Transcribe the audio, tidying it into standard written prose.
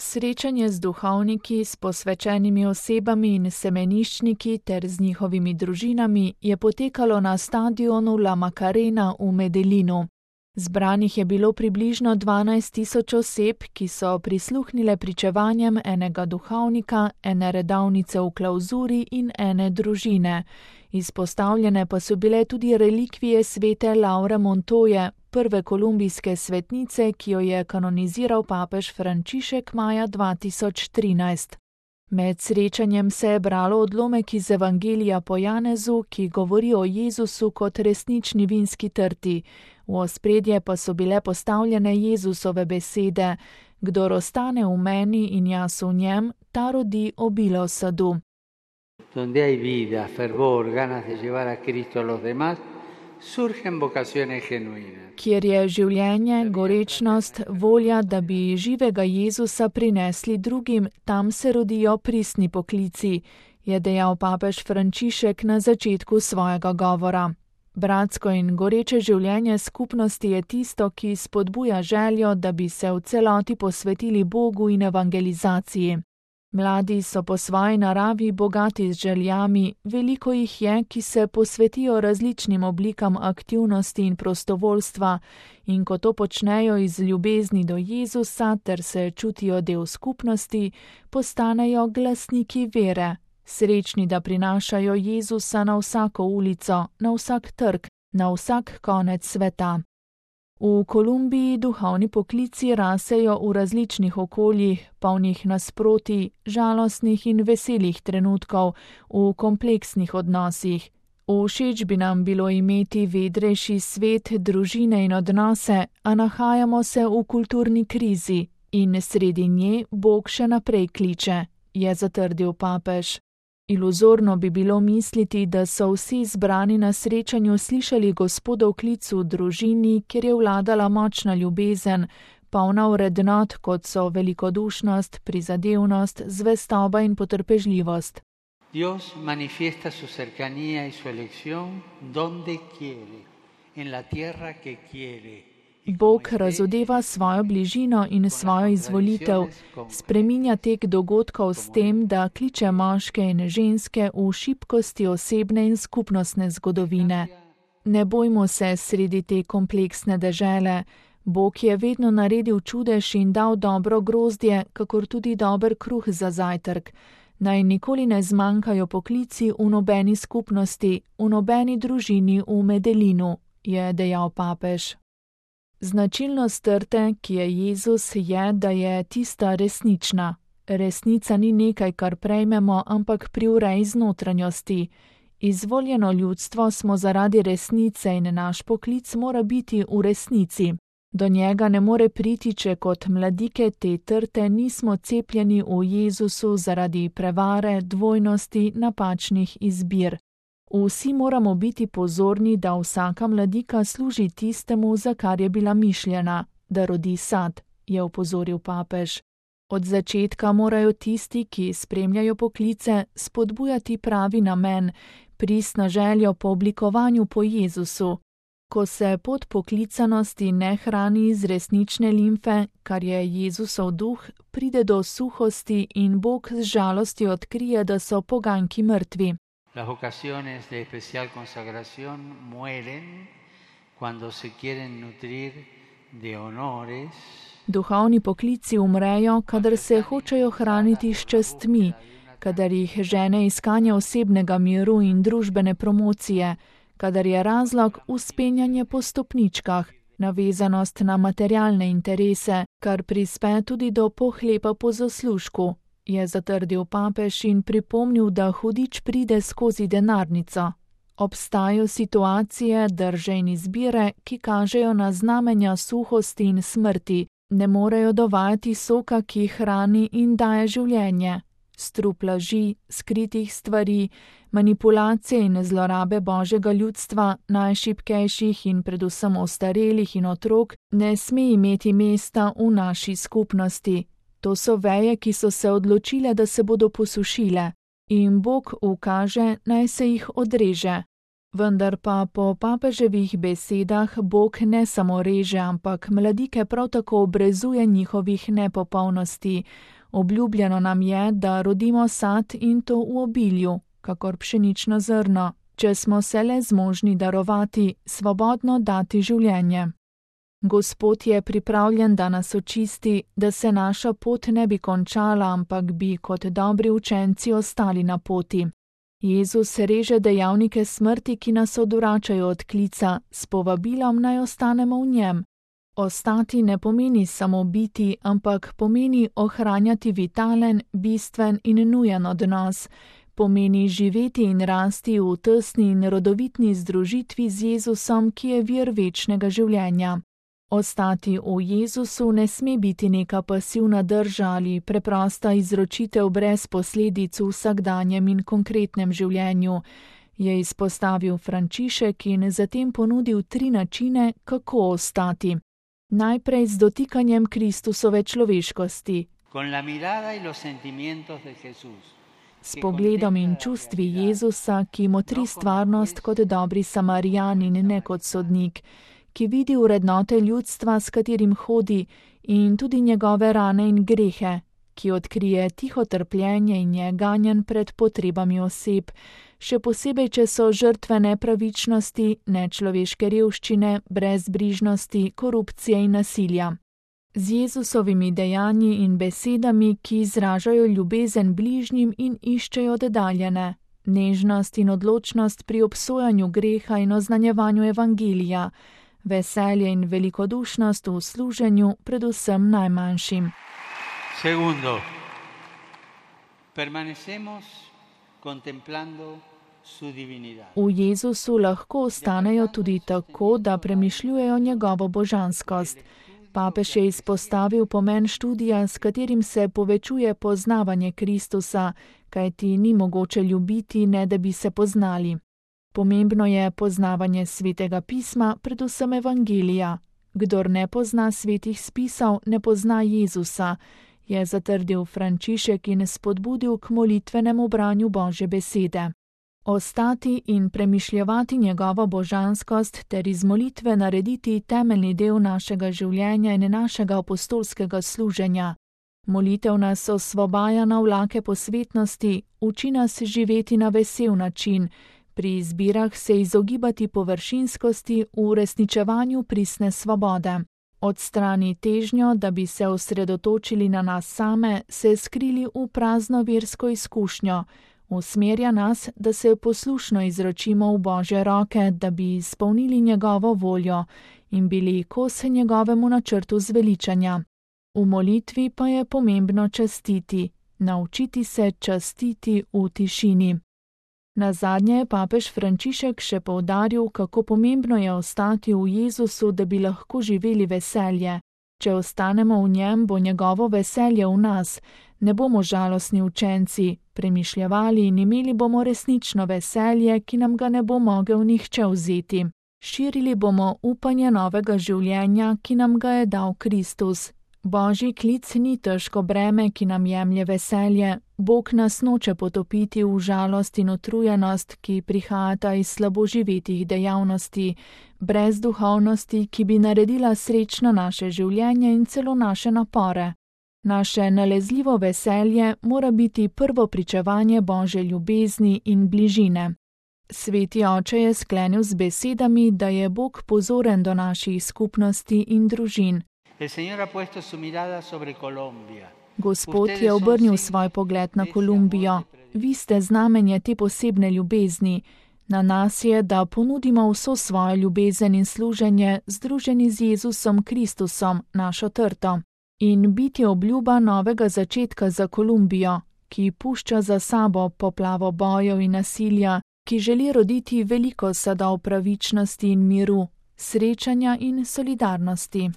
Srečanje z duhovniki, s posvečenimi osebami in semeniščniki ter z njihovimi družinami je potekalo na stadionu La Macarena v Medellinu. Zbranih je bilo približno 12.000 oseb, ki so prisluhnile pričevanjem enega duhovnika, ene redavnice v klavzuri in ene družine. Izpostavljene pa so bile tudi relikvije svete Laure Montoje, prve kolumbijske svetnice, ki jo je kanoniziral papež Frančišek maja 2013. Med srečanjem se je bralo odlomek iz Evangelija po Janezu, ki govori o Jezusu kot resnični vinski trti. V ospredje pa so bile postavljene Jezusove besede: Kdor ostane v meni in jaz v njem, ta rodi obilo sadu. Donde hay vida, fervor, ganas de llevar a Cristo a los demás, surgen vocaciones genuinas. Kjer je življenje, gorečnost, volja, da bi živega Jezusa prinesli drugim, tam se rodijo pristni poklici, je dejal papež Frančišek na začetku svojega govora. Bratsko in goreče življenje skupnosti je tisto, ki spodbuja željo, da bi se v celoti posvetili Bogu in evangelizaciji. Mladi so po svoji naravi bogati z željami, veliko jih je, ki se posvetijo različnim oblikam aktivnosti in prostovoljstva, in ko to počnejo iz ljubezni do Jezusa ter se čutijo del skupnosti, postanejo glasniki vere, srečni, da prinašajo Jezusa na vsako ulico, na vsak trg, na vsak konec sveta. V Kolumbiji duhovni poklici rasejo v različnih okoljih, polnih nasprotij, žalostnih in veselih trenutkov, v kompleksnih odnosih. Všeč bi nam bilo imeti vedrejši svet, družine in odnose, a nahajamo se v kulturni krizi in sredi nje Bog še naprej kliče, je zatrdil papež. Iluzorno bi bilo misliti, da so vsi zbrani na srečanju slišali Gospodov klic v družini, kjer je vladala močna ljubezen, polna vrednot, kot so velikodušnost, prizadevnost, zvestoba in potrpežljivost. Dios manifiesta su cercanía y su elección donde quiere, en la tierra que quiere. Bog razodeva svojo bližino in svojo izvolitev, spreminja tek dogodkov s tem, da kliče moške in ženske v šibkosti osebne in skupnostne zgodovine. Ne bojmo se sredi te kompleksne dežele. Bog je vedno naredil čudež in dal dobro grozdje, kakor tudi dober kruh za zajtrk. Naj nikoli ne zmanjkajo poklici v nobeni skupnosti, v nobeni družini v Medellinu, je dejal papež. Značilnost trte, ki je Jezus, je, da je tista resnična. Resnica ni nekaj, kar prejmemo, ampak privrej iz notranjosti. Izvoljeno ljudstvo smo zaradi resnice in naš poklic mora biti v resnici. Do njega ne more priti, če kot mladike te trte nismo cepljeni v Jezusu zaradi prevare, dvojnosti, napačnih izbir. Vsi moramo biti pozorni, da vsaka mladika služi tistemu, za kar je bila mišljena, da rodi sad, je opozoril papež. Od začetka morajo tisti, ki spremljajo poklice, spodbujati pravi namen, pristno željo po oblikovanju po Jezusu. Ko se pot poklicanosti ne hrani iz resnične limfe, kar je Jezusov duh, pride do suhosti in Bog z žalostjo odkrije, da so poganjki mrtvi. Las vocaciones de especial consagración mueren cuando se quieren nutrir de honores. Duhovni poklici umrejo, kadar se hočejo hraniti s častmi, kadar jih žene iskanje osebnega miru in družbene promocije, kadar je razlog vzpenjanje po stopničkah, navezanost na materialne interese, kar prispe tudi do pohlepa po zaslužku, je zatrdil papež in pripomnil, da hudič pride skozi denarnico. Obstajajo situacije, drže in izbire, ki kažejo na znamenja suhosti in smrti, ne morejo dovajati soka, ki hrani in daje življenje. Strup laži, skritih stvari, manipulacije in zlorabe Božjega ljudstva, najšibkejših in predvsem ostarelih in otrok, ne sme imeti mesta v naši skupnosti. To so veje, ki so se odločile, da se bodo posušile, in Bog ukaže, naj se jih odreže. Vendar pa po papeževih besedah Bog ne samo reže, ampak mladike prav tako obrezuje njihovih nepopolnosti. Obljubljeno nam je, da rodimo sad in to v obilju, kakor pšenično zrno, če smo se le zmožni darovati, svobodno dati življenje. Gospod je pripravljen, da nas očisti, da se naša pot ne bi končala, ampak bi kot dobri učenci ostali na poti. Jezus reže dejavnike smrti, ki nas odvračajo od klica, s povabilom naj ostanemo v njem. Ostati ne pomeni samo biti, ampak pomeni ohranjati vitalen, bistven in nujen odnos. Pomeni živeti in rasti v tesni in rodovitni združitvi z Jezusom, ki je vir večnega življenja. Ostati v Jezusu ne sme biti neka pasivna drža ali preprosta izročitev brez posledic v vsakdanjem in konkretnem življenju, je izpostavil Frančišek in zatem ponudil 3 načine, kako ostati. Najprej z dotikanjem Kristusove človeškosti, s pogledom in čustvi Jezusa, ki motri stvarnost kot dobri Samarijan in ne kot sodnik, ki vidi vrednote ljudstva, s katerim hodi, in tudi njegove rane in grehe, ki odkrije tiho trpljenje in je ganjen pred potrebami oseb, še posebej, če so žrtve nepravičnosti, nečloveške revščine, brezbrižnosti, korupcije in nasilja. Z Jezusovimi dejanji in besedami, ki izražajo ljubezen bližnjim in iščejo oddaljene, nežnost in odločnost pri obsojanju greha in oznanjevanju evangelija, veselje in velikodušnost v služenju predvsem najmanjšim. Segundo, permanecemos contemplando su divinidad. V Jezusu lahko ostanejo tudi tako, da premišljujejo njegovo božanskost. Papež je izpostavil pomen študija, s katerim se povečuje poznavanje Kristusa, kajti ni mogoče ljubiti, ne da bi se poznali. Pomembno je poznavanje svetega pisma, predvsem evangelija. Kdor ne pozna svetih spisov, ne pozna Jezusa, je zatrdil Frančišek in spodbudil k molitvenemu branju Božje besede. Ostati in premišljevati njegovo božanskost ter iz molitve narediti temeljni del našega življenja in našega apostolskega služenja. Molitev nas osvobaja na vlake posvetnosti, uči nas živeti na vesel način, pri izbirah se izogibati površinskosti v uresničevanju pristne svobode. Odstrani težnjo, da bi se osredotočili na nas same, se skrili v prazno versko izkušnjo, usmerja nas, da se poslušno izročimo v Božje roke, da bi izpolnili njegovo voljo in bili kos njegovemu načrtu zveličanja. V molitvi pa je pomembno častiti, naučiti se častiti v tišini. Nazadnje je papež Frančišek še poudaril, kako pomembno je ostati v Jezusu, da bi lahko živeli veselje. Če ostanemo v njem, bo njegovo veselje v nas, ne bomo žalostni učenci, premišljevali in imeli bomo resnično veselje, ki nam ga ne bo mogel nihče vzeti. Širili bomo upanje novega življenja, ki nam ga je dal Kristus. Božji klic ni težko breme, ki nam jemlje veselje. Bog nas noče potopiti v žalost in utrujenost, ki prihajata iz slabo živetih dejavnosti, brez duhovnosti, ki bi naredila srečno naše življenje in celo naše napore. Naše nalezljivo veselje mora biti prvo pričevanje Božje ljubezni in bližine. Sveti oče je sklenil z besedami, da je Bog pozoren do naših skupnosti in družin. Gospod je obrnil svoj pogled na Kolumbijo. Vi ste znamenje te posebne ljubezni. Na nas je, da ponudimo vso svojo ljubezen in služenje, združeni z Jezusom Kristusom, našo trto. In biti obljuba novega začetka za Kolumbijo, ki pušča za sabo poplavo bojev in nasilja, ki želi roditi veliko sadov pravičnosti in miru, srečanja in solidarnosti.